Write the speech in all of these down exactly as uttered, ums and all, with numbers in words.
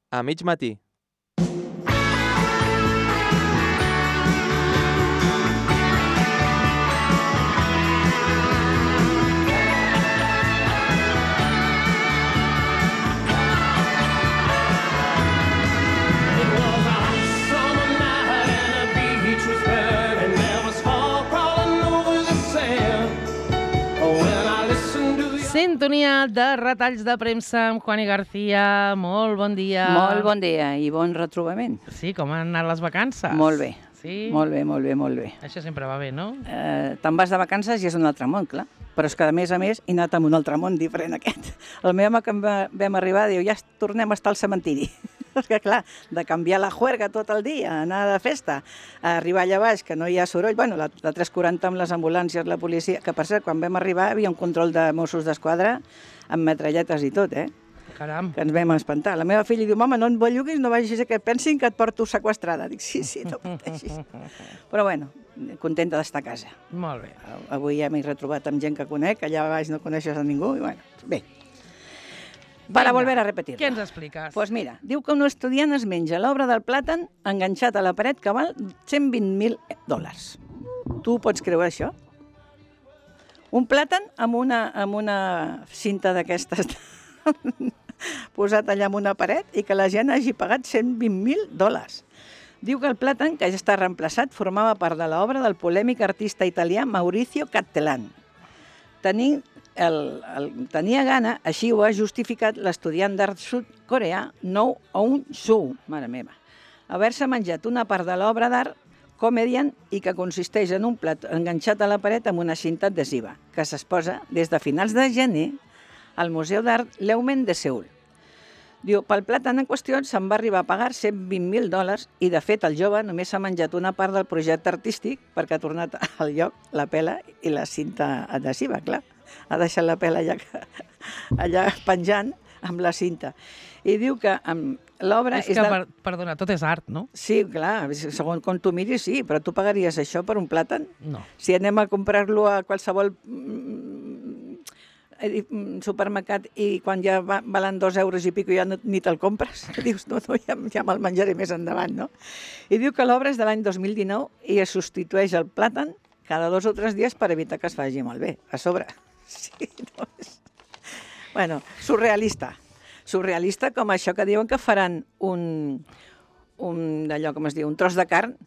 A mig matí. Sintonia de retalls de premsa amb Juani García. Molt bon dia. Molt bon dia i bon retrobament. Sí, com han anat les vacances? Molt bé. Sí? Molt bé, molt bé, molt bé. Això sempre va bé, no? Eh, Te'n vas de vacances i és un altre món, clar. Però és que, a més a més, he anat a un altre món diferent aquest. El meu home, que vam arribar, diu, ja tornem a estar al cementiri. És que, clar, de canviar la juerga tot el dia, anar de festa, a arribar allà baix, que no hi ha soroll, bueno, la, la tres quaranta amb les ambulàncies, la policia, que per cert, quan vam arribar, hi havia un control de Mossos d'Esquadra amb metralletes i tot, eh? Caram. Que ens vam espantar. La meva filla diu, mama, no et belluguis, no vagis a que pensin que et porto sequestrada. Dic, sí, sí, no pateixis. Però bueno, contenta d'estar a casa. Molt bé. Avui ja m'he retrobat amb gent que conec, allà baix no coneixes a ningú, i bueno, bé. Para volver a repetir-lo. Què ens expliques? Doncs pues mira, diu que un estudiant es menja l'obra del plàtan enganxat a la paret que val cent vint mil dòlars. Tu pots creure això? Un plàtan amb una, amb una cinta d'aquestes posat allà en una paret i que la gent hagi pagat cent vint mil dòlars. Diu que el plàtan, que ja està reemplaçat, formava part de l'obra del polèmic artista italià Maurizio Cattelan. Tenint El, el, tenia gana, així ho ha justificat l'estudiant d'art sud-coreà Nou Eun Soo, mare meva, haver-se menjat una part de l'obra d'art Comedian i que consisteix en un plat enganxat a la paret amb una cinta adhesiva, que s'exposa des de finals de gener al Museu d'Art Leumen de Seül. Diu, pel plàtan en qüestió se'n va arribar a pagar cent vint mil dòlars i, de fet, el jove només s'ha menjat una part del projecte artístic perquè ha tornat al lloc la pela i la cinta adhesiva, clar. Ha deixat la pela allà, allà penjant amb la cinta. I diu que l'obra... És que, de... per, perdona, tot és art, no? Sí, clar, segons com tu miris, sí, però tu pagaries això per un plàtan? No. Si anem a comprar-lo a qualsevol supermercat i quan ja va, valen dos euros i pico ja no, ni te'l compres, dius, no, no, ja, ja me'l menjaré més endavant, no? I diu que l'obra és de l'any dos mil dinou i es substitueix el plàtan cada dos o tres dies per evitar que es faci malbé, a sobre. Sí, no és... Bueno, surrealista. Surrealista com això que diuen que faran un, un d'allò, com es diu, un tros de carn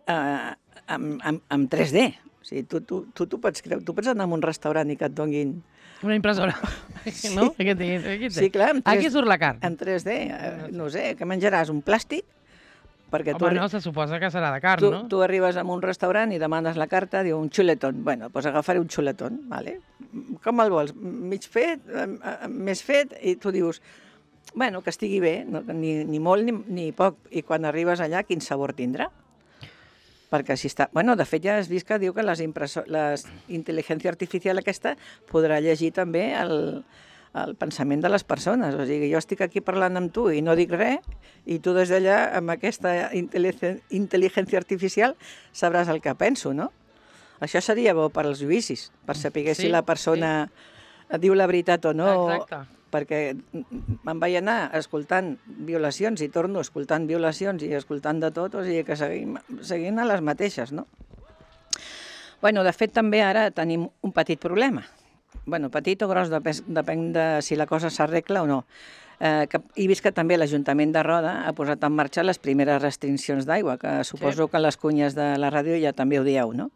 eh, amb, amb, amb tres D. O sigui, tu, tu, tu, tu, pots creure, tu pots anar a un restaurant i que et donguin... Una impressora, sí. No? Aquí té, aquí té. Sí, clar, en tres, aquí surt la carn. En tres D, eh, no sé, que menjaràs un plàstic, perquè Home, tu... no, se suposa que serà de carn, tu, no? Tu arribes a un restaurant i demanes la carta, diu un xuletón. Bueno, doncs agafaré un xuletón, vale? Com el vols? Mig fet, més fet, i tu dius, bueno, que estigui bé, no? ni, ni molt ni, ni poc. I quan arribes allà, quin sabor tindrà? Perquè si està... Bueno, de fet, ja has vist que diu que les impreso... les intel·ligència artificial aquesta podrà llegir també el, el pensament de les persones. O sigui, jo estic aquí parlant amb tu i no dic res, i tu des d'allà, amb aquesta intel·ligència artificial, sabràs el que penso, no? Això seria bo per als judicis, per saber sí, si la persona sí. diu la veritat o no. Exacte. Perquè me'n vaig anar escoltant violacions i torno escoltant violacions i escoltant de tot, o sigui que seguim, seguim a les mateixes, no? Bueno, de fet, també ara tenim un petit problema. Bueno, petit o gros, depèn de si la cosa s'arregla o no. Eh, que, he vist que també l'Ajuntament de Roda ha posat en marxa les primeres restriccions d'aigua, que suposo sí. que les cunyes de la ràdio ja també ho dieu, no?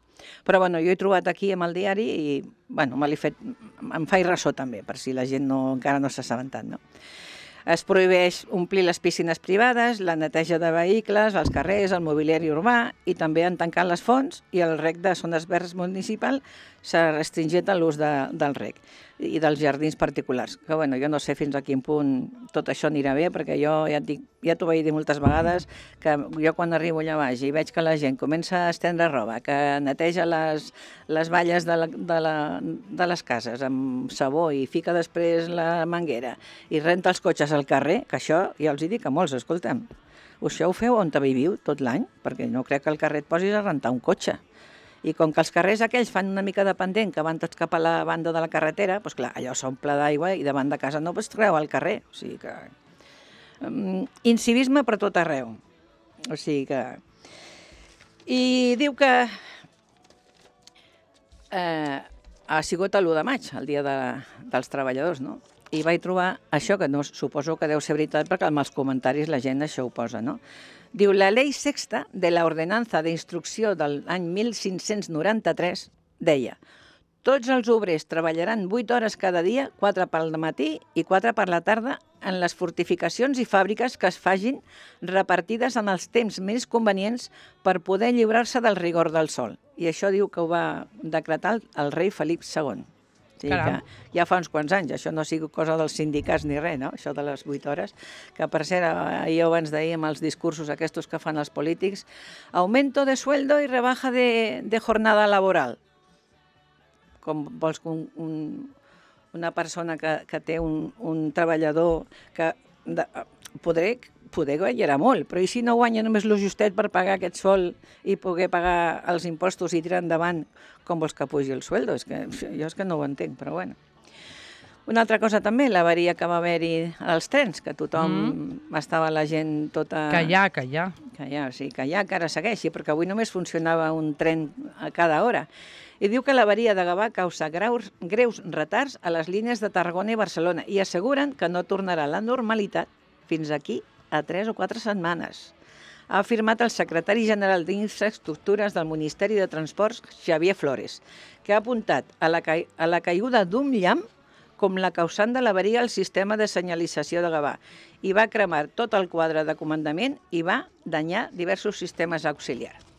Però bueno, jo he trobat aquí amb el diari i bueno, me l'he fet, em faig ressò també, per si la gent no, encara no s'ha assabentat, no? Es prohibeix omplir les piscines privades, la neteja de vehicles, els carrers, el mobiliari urbà i també han tancat les fonts i el rec de zones verdes municipal s'ha restringit l'ús de, del rec i dels jardins particulars. Que bueno, jo no sé fins a quin punt tot això anirà bé, perquè jo ja et dic, ja t'ho vaig dir moltes vegades, que jo quan arribo allà baix i veig que la gent comença a estendre roba, que neteja les, les valles de, la, de, la, de les cases amb sabó i fica després la manguera i renta els cotxes al carrer, que això ja els hi dic a molts, escolta'm, això ho feu on viviu tot l'any, perquè no crec que al carrer et posis a rentar un cotxe. I com que els carrers aquells fan una mica de pendent, que van tots cap a la banda de la carretera, doncs clar, allò s'omple d'aigua i davant de casa no pots treure al carrer. O sigui que Um, incivisme per tot arreu. O sigui que... I diu que eh, ha sigut l'u de maig, el dia de, dels treballadors, no? I vaig trobar això, que no, suposo que deu ser veritat, perquè amb els comentaris la gent això ho posa, no? Diu, la Ley Sexta de la Ordenanza de Instrucció de l'any mil cinc-cents noranta-tres deia: tots els obrers treballaran vuit hores cada dia, quatre pel matí i quatre per la tarda, en les fortificacions i fàbriques que es fagin repartides en els temps més convenients per poder lliurar-se del rigor del sol. I això diu que ho va decretar el, el rei Felip segon. O sigui que ja fa uns quants anys, això no sigui cosa dels sindicats ni res, no? Això de les vuit hores, que per cert, ahir abans d'ahir amb els discursos aquests que fan els polítics, augmento de sueldo i rebaja de, de jornada laboral. Com vols que un, un, una persona que, que té un, un treballador que de, podré, poder guanyarà molt, però i si no guanya només lo justet per pagar aquest sol i poder pagar els impostos i tirar endavant, com vols que pugi el sueldo? És que, jo és que no ho entenc, però bueno. Una altra cosa també, l'avaria que va haver-hi als trens, que tothom mm. estava la gent tota... Que hi ha, que hi ha. Que hi ha, sí, que hi ha, que ara segueixi, perquè avui només funcionava un tren a cada hora. I diu que l'avaria de Gavà causa greus, greus retards a les línies de Tarragona i Barcelona i asseguren que no tornarà a la normalitat fins aquí a tres o quatre setmanes. Ha afirmat el secretari general d'Infraestructures del Ministeri de Transports, Xavier Flores, que ha apuntat a la, ca a la caiguda d'un llamp com la causant de l'avaria al sistema de senyalització de Gavà i va cremar tot el quadre de comandament i va danyar diversos sistemes auxiliars.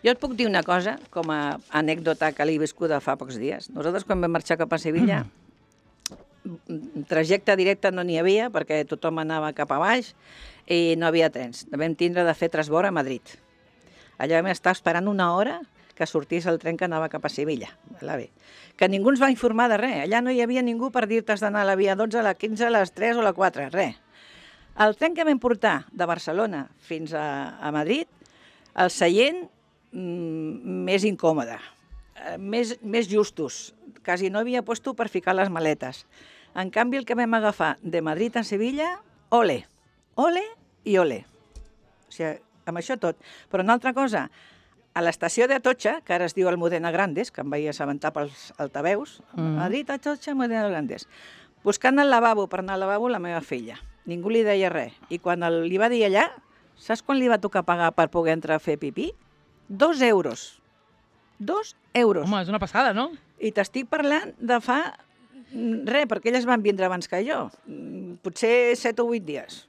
Jo et puc dir una cosa, com a anècdota que l'he viscuda fa pocs dies. Nosaltres, quan vam marxar cap a Sevilla, mm. trajecte directe no n'hi havia, perquè tothom anava cap a baix i no havia trens. Vam tindre de fer transbord a Madrid. Allà vam estar esperant una hora que sortís el tren que anava cap a Sevilla. Que ningú ens va informar de res. Allà no hi havia ningú per dir-te has d'anar a la via dotze, a la quinze, a les tres o a la quatre, res. El tren que vam portar de Barcelona fins a, a Madrid, el seient mm, més incòmode, més, més justos, quasi no havia puesto per ficar les maletes. En canvi, el que vam agafar de Madrid a Sevilla, ole, ole i ole. O sigui, amb això tot. Però una altra cosa, a l'estació d'Atocha, que ara es diu Almudena Grandes, que em vaig assabentar pels altaveus, mm. Madrid, Atocha, Almudena Grandes, buscant el lavabo per anar al lavabo la meva filla. Ningú li deia res. I quan el, li va dir allà, saps quan li va tocar pagar per poder entrar a fer pipí? Dos euros. Dos euros. Home, és una passada, no? I t'estic parlant de fa... res, perquè elles van vindre abans que jo. Potser set o vuit dies.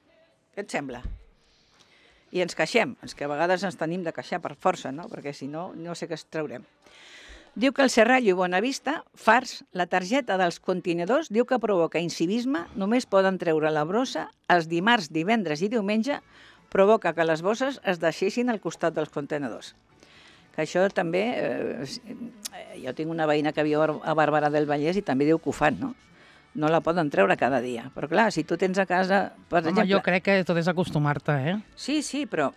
Què et sembla? I ens queixem. És que a vegades ens tenim de queixar per força, no? Perquè si no, no sé què es traurem. Diu que el Serrallo i Bonavista, fars, la targeta dels contenidors, diu que provoca incivisme, només poden treure la brossa els dimarts, divendres i diumenge, provoca que les bosses es deixessin al costat dels contenidors. Que això també... Eh, jo tinc una veïna que viu a Barberà del Vallès i també diu que ho fan, no? No la poden treure cada dia. Però clar, si tu tens a casa... Per Home, exemple... jo crec que tot és acostumar-te, eh? Sí, sí, però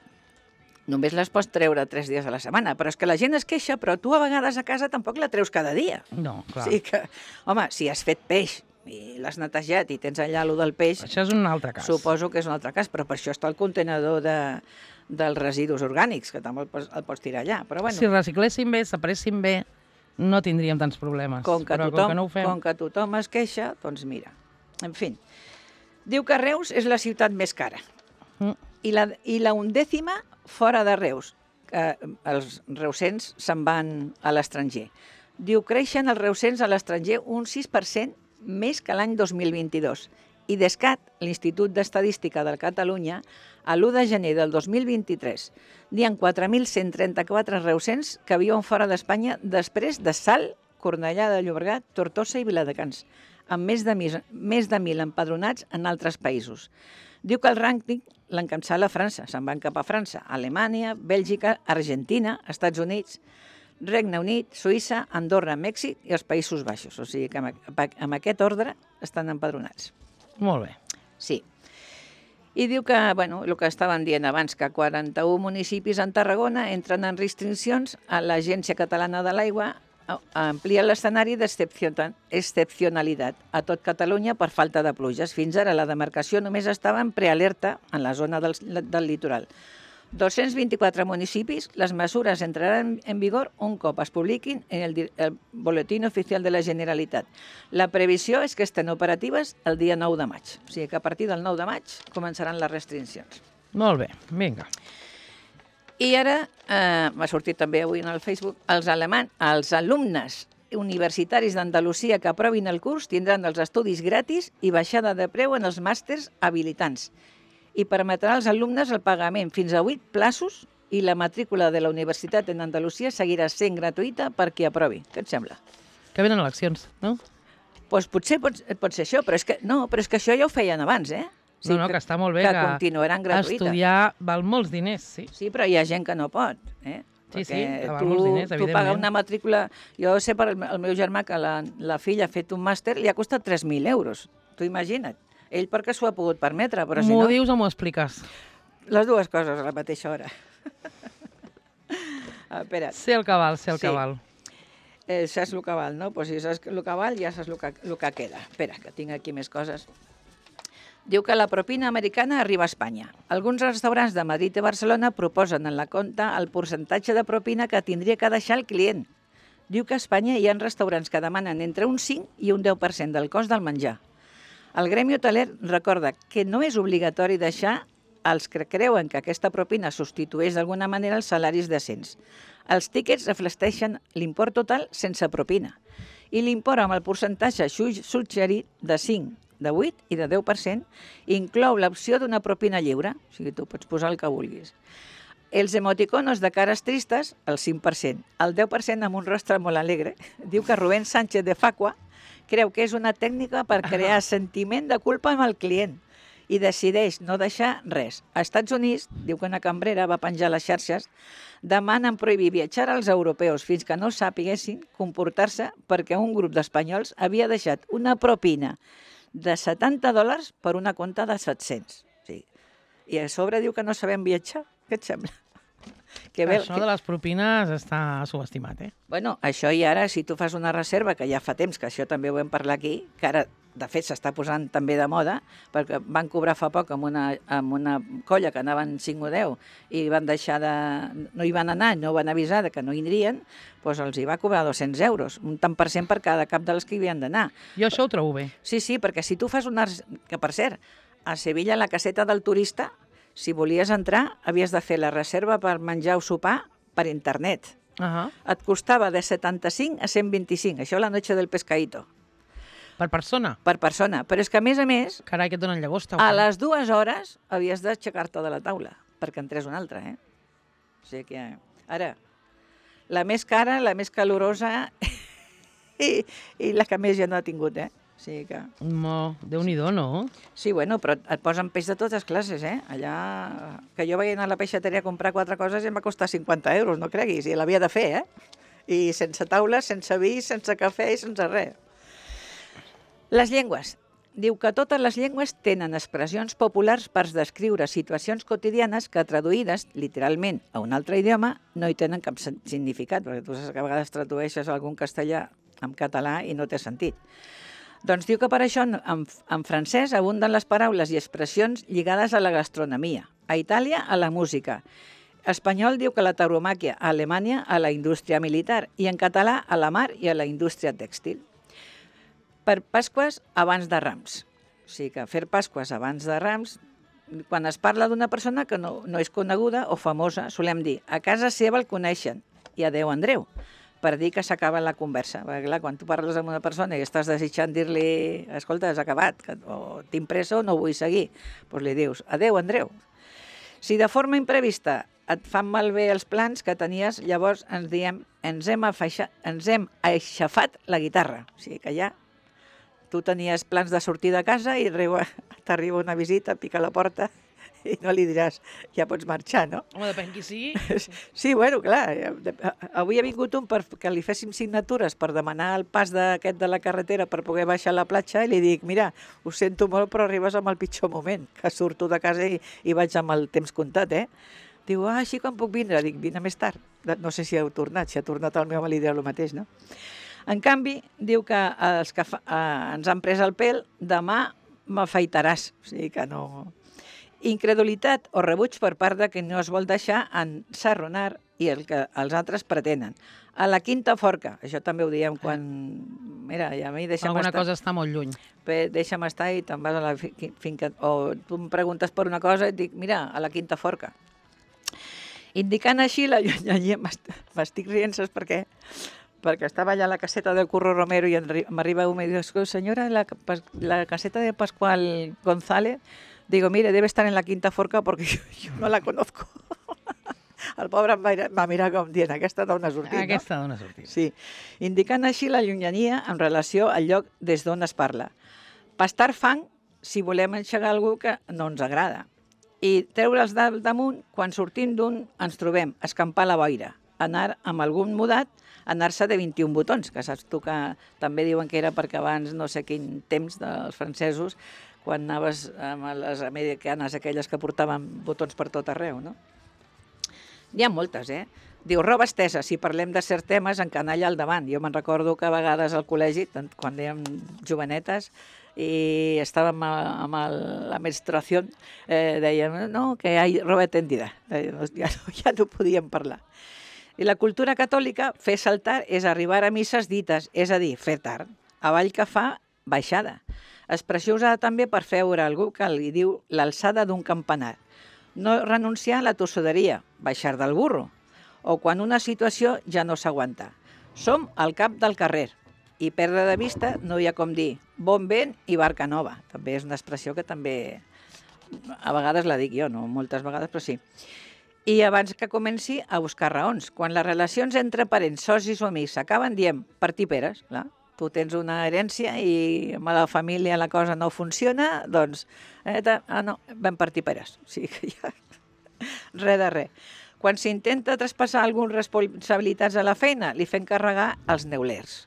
només les pots treure tres dies a la setmana. Però és que la gent es queixa, però tu a vegades a casa tampoc la treus cada dia. No, clar. O sigui que, home, si has fet peix i l'has netejat i tens allà allò del peix... Això és un altre cas. Suposo que és un altre cas, però per això està el contenedor de, dels residus orgànics, que també el pots, el pots tirar allà. Però bueno, si recicléssim bé, separéssim bé, no tindríem tants problemes. Com que, però tothom, com que no ho fem... com que tothom es queixa, doncs mira. En fi, diu que Reus és la ciutat més cara. Mm. I, la, I la undècima fora de Reus, que els reusens se'n van a l'estranger. Diu que creixen els reusens a l'estranger un sis per cent més que l'any dos mil vint-i-dos. I Descat, l'Institut d'Estadística de Catalunya, a l'u de gener del dos mil vint-i-tres, n'hi ha quatre mil cent trenta-quatre reusens que viuen fora d'Espanya després de Salt, Cornellà de Llobregat, Tortosa i Viladecans, amb més de, més de mil empadronats en altres països. Diu que el rànquing l'encapçala França, se'n van cap a França, Alemanya, Bèlgica, Argentina, Estats Units, Regne Unit, Suïssa, Andorra, Mèxic i els Països Baixos. O sigui que amb aquest ordre estan empadronats. Molt bé. Sí. I diu que, bueno, el que estaven dient abans, que quaranta-un municipis en Tarragona entren en restriccions a l'Agència Catalana de l'Aigua amplia l'escenari d'excepcionalitat a tot Catalunya per falta de pluges. Fins ara la demarcació només estava en prealerta en la zona del, del litoral. dos-cents vint-i-quatre municipis, les mesures entraran en vigor un cop es publiquin en el, el Boletín Oficial de la Generalitat. La previsió és que estén operatives el dia nou de maig. O sigui que a partir del nou de maig començaran les restriccions. Molt bé, vinga. I ara, eh, m'ha sortit també avui en el Facebook, els, alemans, els alumnes universitaris d'Andalusia que aprovin el curs tindran els estudis gratis i baixada de preu en els màsters habilitants. I permetrà als alumnes el pagament fins a vuit plaços i la matrícula de la universitat en Andalusia seguirà sent gratuïta per qui aprovi. Què et sembla? Que venen eleccions, no? Doncs potser pot, pot ser això, però és que, no, però és que això ja ho feien abans, eh? Sí, no, no, que, que està molt bé que, que, continuaran gratuïta. Estudiar val molts diners, sí. Sí, però hi ha gent que no pot, eh? Sí, Perquè sí, que val tu, molts diners, evidentment. Tu pagar una matrícula... Jo sé per el, el meu germà que la, la filla ha fet un màster, li ha costat tres mil euros. Tu imagina't. Ell perquè s'ho ha pogut permetre, però si no... M'ho dius o m'ho expliques? Les dues coses a la mateixa hora. ah, espera't. Sé el que val, sé el sí. que val. Eh, saps el que val, no? Pues si saps el que val, ja saps el que, el que queda. Espera, que tinc aquí més coses. Diu que la propina americana arriba a Espanya. Alguns restaurants de Madrid i Barcelona proposen en la compta el percentatge de propina que tindria que deixar el client. Diu que a Espanya hi ha restaurants que demanen entre un cinc i un deu per cent del cost del menjar. El Gremi Hoteler recorda que no és obligatori deixar als que creuen que aquesta propina substitueix d'alguna manera els salaris decents. Els tíquets reflecteixen l'import total sense propina i l'import amb el percentatge suggerit de cinc, de vuit i de deu per cent inclou l'opció d'una propina lliure, o sigui, tu pots posar el que vulguis. Els emoticonos de cares tristes, el cinc per cent. El deu per cent amb un rostre molt alegre. Diu que Rubén Sánchez de Facua creu que és una tècnica per crear sentiment de culpa amb el client i decideix no deixar res. Als Estats Units, diu que una cambrera va penjar a les xarxes, demanen prohibir viatjar als europeus fins que no sàpiguessin comportar-se perquè un grup d'espanyols havia deixat una propina de setanta dòlars per una compta de set-cents. Sí. I a sobre diu que no sabem viatjar. Què et sembla? Que bé, això que... de les propines està subestimat, eh? Bueno, això i ara, si tu fas una reserva, que ja fa temps que això també ho vam parlar aquí, que ara, de fet, s'està posant també de moda, perquè van cobrar fa poc amb una, amb una colla que anaven cinc o deu i van deixar de... no hi van anar, no van avisar de que no hi anirien, doncs els hi va cobrar dos-cents euros, un tant per cent per cada cap dels que hi havien d'anar. Jo això ho trobo bé. Sí, sí, perquè si tu fas una... que, per cert, a Sevilla, la caseta del turista, si volies entrar, havies de fer la reserva per menjar o sopar per internet. Uh-huh. Et costava de setanta-cinc a cent vint-i-cinc, això la noche del pescadito. Per persona? Per persona, però és que a més a més... Carai, que et donen llagosta. A les dues hores havies d'aixecar-te de la taula, perquè entrés una altra, eh? O sigui que... Ara, la més cara, la més calorosa i, i la que més ja no ha tingut, eh? O sigui que... No, Déu-n'hi-do, no? Sí, bueno, però et posen peix de totes classes, eh? Allà... Que jo vaig anar a la peixateria a comprar quatre coses i em va costar cinquanta euros, no creguis, i l'havia de fer, eh? I sense taula, sense vi, sense cafè i sense res. Les llengües. Diu que totes les llengües tenen expressions populars per descriure situacions quotidianes que, traduïdes literalment a un altre idioma, no hi tenen cap significat, perquè tu saps que a vegades tradueixes algun castellà en català i no té sentit. Doncs diu que per això en, en francès abunden les paraules i expressions lligades a la gastronomia, a Itàlia a la música. Espanyol diu que la tauromàquia, a Alemanya a la indústria militar i en català a la mar i a la indústria tèxtil. Per Pasques abans de Rams. O sigui que fer Pasques abans de Rams, quan es parla d'una persona que no, no és coneguda o famosa, solem dir, a casa seva el coneixen i adeu Andreu, per dir que s'acaba la conversa. Perquè clar, quan tu parles amb una persona i estàs desitjant dir-li, escolta, has acabat, que, o tinc pressa o no vull seguir, doncs li dius, adeu Andreu. Si de forma imprevista et fan malbé els plans que tenies, llavors ens diem, ens hem, afaixa, ens hem aixafat la guitarra. O sigui que ja tu tenies plans de sortir de casa i t'arriba una visita, pica la porta i no li diràs, ja pots marxar, no? Home, depèn qui sigui. Sí, bueno, clar, avui ha vingut un perquè li féssim signatures per demanar el pas d'aquest de la carretera per poder baixar a la platja i li dic, mira, ho sento molt però arribes en el pitjor moment, que surto de casa i, i vaig amb el temps comptat, eh? Diu, ah, així quan puc vindre? Dic, vine més tard. no sé si heu tornat, si ha tornat el meu marit dirà el mateix, no? En canvi, diu que els que fa, eh, ens han pres el pèl, demà m'afaitaràs. O sigui que no... Incredulitat o rebuig per part de qui no es vol deixar ensarronar i el que els altres pretenen. A la quinta forca, això també ho diem quan... Mira, i a mi deixa'm Alguna estar... cosa està molt lluny. Bé, deixa'm estar i te'n vas a la fi- finca... O tu em preguntes per una cosa i et dic, mira, a la quinta forca. Indicant així la llunyania, m'est- m'estic rient, saps per què? Perquè estava allà a la caseta del Curro Romero i enri- m'arriba un i diu, senyora, la, pas- la caseta de Pascual González, digo, mire, debe estar en la quinta forca porque yo, yo no la conozco. El pobre em va, va mirar com dient, aquesta dona sortint, Aquesta dona sortint. Sí, indicant així la llunyania en relació al lloc des d'on es parla. Pastar fang si volem enxegar algú que no ens agrada. I treure'ls del damunt quan sortim d'un ens trobem, escampar la boira, anar amb algun mudat, anar-se de vint-i-un botons, que saps tu que també diuen que era perquè abans no sé quin temps dels francesos, quan anaves amb les americanes, aquelles que portaven botons per tot arreu, no? N'hi ha moltes, eh? Diu, roba estesa, si parlem de certs temes, en canalla al davant. Jo me'n recordo que a vegades al col·legi, tant quan érem jovenetes, i estàvem amb el, la menstruació, eh, dèiem, no, que hi ha roba tendida. Ja no, ja no podíem parlar. I la cultura catòlica, fer saltar és arribar a misses dites, és a dir, fer tard. Avall que fa, baixada. Expressió usada també per feure algú que li diu l'alçada d'un campanar. No renunciar a la tossuderia, baixar del burro, o quan una situació ja no s'aguanta. Som al cap del carrer i perdre de vista no hi ha com dir bon vent i barca nova. També és una expressió que també a vegades la dic jo, no moltes vegades, però sí. I abans que comenci a buscar raons. Quan les relacions entre parents, socis o amics s'acaben, diem partir peres, clar. Tu tens una herència i amb la família la cosa no funciona, doncs, eh, ah, no, vam partir peres. O sigui que ja... Res de res. Quan s'intenta traspassar algunes responsabilitats a la feina, li fem carregar els neulers.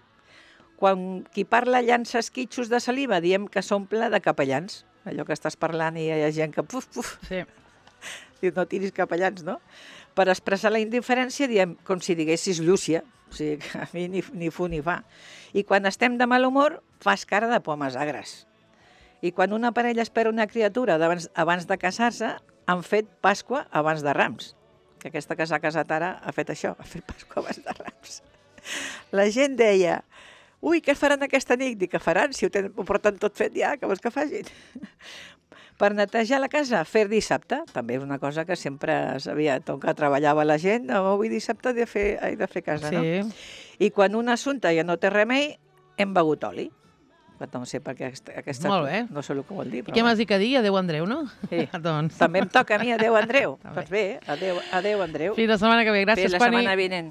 Quan qui parla llança esquitxos de saliva, diem que s'omple de capellans. Allò que estàs parlant i hi ha gent que... Puf, puf. Sí. Diu, no tiris capellans, no? Per expressar la indiferència diem com si diguessis Llúcia. O sigui, que a mi ni, ni fu ni fa. I quan estem de mal humor, fas cara de pomes agres. I quan una parella espera una criatura abans, abans de casar-se, han fet Pasqua abans de Rams. Que aquesta que s'ha casat ara ha fet això, ha fet Pasqua abans de Rams. La gent deia, ui, què faran aquesta nit? Dic, què faran? Si ho, ten, ho porten tot fet ja, què vols que facin? Per netejar la casa, fer dissabte, també és una cosa que sempre sabia, tot que treballava la gent, no, avui dissabte he de fer, he de fer casa, sí. No? I quan un assumpte ja no té remei, hem begut oli. No sé per què aquesta, aquesta Molt bé. no sé el que vol dir. I què m'has dit que dir? Adéu, Andreu, no? Sí. doncs. També em toca a mi, adéu, Andreu. Doncs bé, adéu, adéu, Andreu. Fins la setmana que ve. Gràcies, Fins la Pani. setmana vinent.